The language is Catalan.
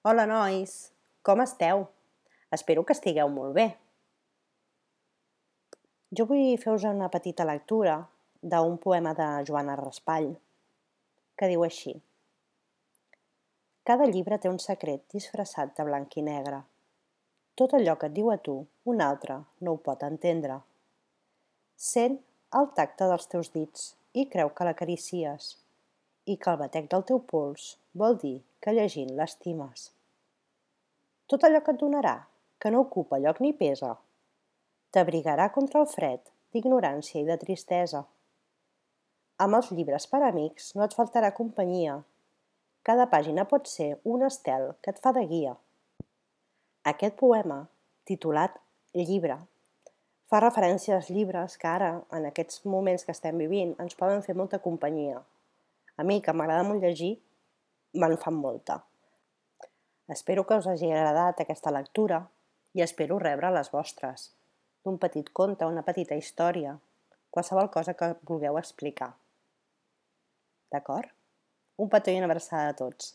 Hola, nois! Com esteu? Espero que estigueu molt bé. Jo vull fer-vos una petita lectura d'un poema de Joana Raspall, que diu així. Cada llibre té un secret disfressat de blanc i negre. Tot allò que et diu a tu, un altre no ho pot entendre. Sent el tacte dels teus dits i creu que l'acaricies, i que el batec del teu pols vol dir que llegint l'estimes. Tot allò que et donarà, que no ocupa lloc ni pesa, t'abrigarà contra el fred d'ignorància i de tristesa. Amb els llibres per amics no et faltarà companyia. Cada pàgina pot ser un estel que et fa de guia. Aquest poema, titulat Llibre, fa referència als llibres que ara, en aquests moments que estem vivint, ens poden fer molta companyia. A mi, que m'agrada molt llegir, me'n fan molta. Espero que us hagi agradat aquesta lectura i espero rebre les vostres, d'un petit conte, una petita història, qualsevol cosa que vulgueu explicar. D'acord? Un petó i una abraçada a tots.